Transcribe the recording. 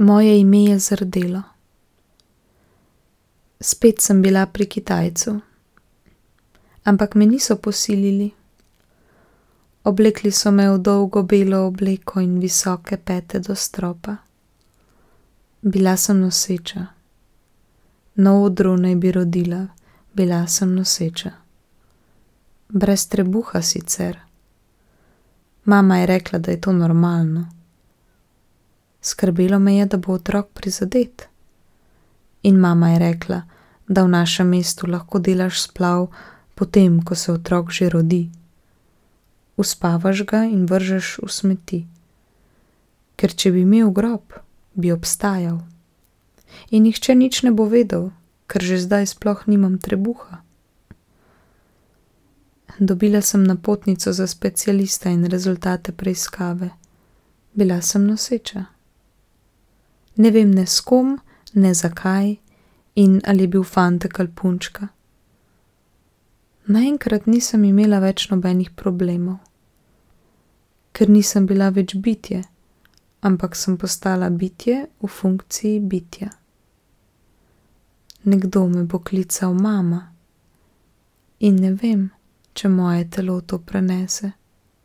Moje ime je zardelo. Spet sem bila pri Kitajcu. Ampak me niso posilili. Oblekli so me v dolgo belo obleko in visoke pete do stropa. Bila sem noseča. Na odru naj bi rodila, bila sem noseča. Brez trebuha sicer. Mama je rekla, da je to normalno. Skrbelo me je, da bo otrok prizadet. In mama je rekla, da v našem mestu lahko delaš splav potem, ko se otrok že rodi. Uspavaš ga in vržeš v smeti. Ker če bi imel grob, bi obstajal. In nihče nič ne bo vedel, ker že zdaj sploh nimam trebuha. Dobila sem napotnico za specialista in rezultate preiskave. Bila sem noseča. Ne vem ne s kom, ne zakaj in ali je bil fantek ali punčka. Naenkrat nisem imela več nobenih problemov. Ker nisem bila več bitje, ampak sem postala bitje v funkciji bitja. Nekdo me bo klical mama in ne vem, če moje telo to prenese.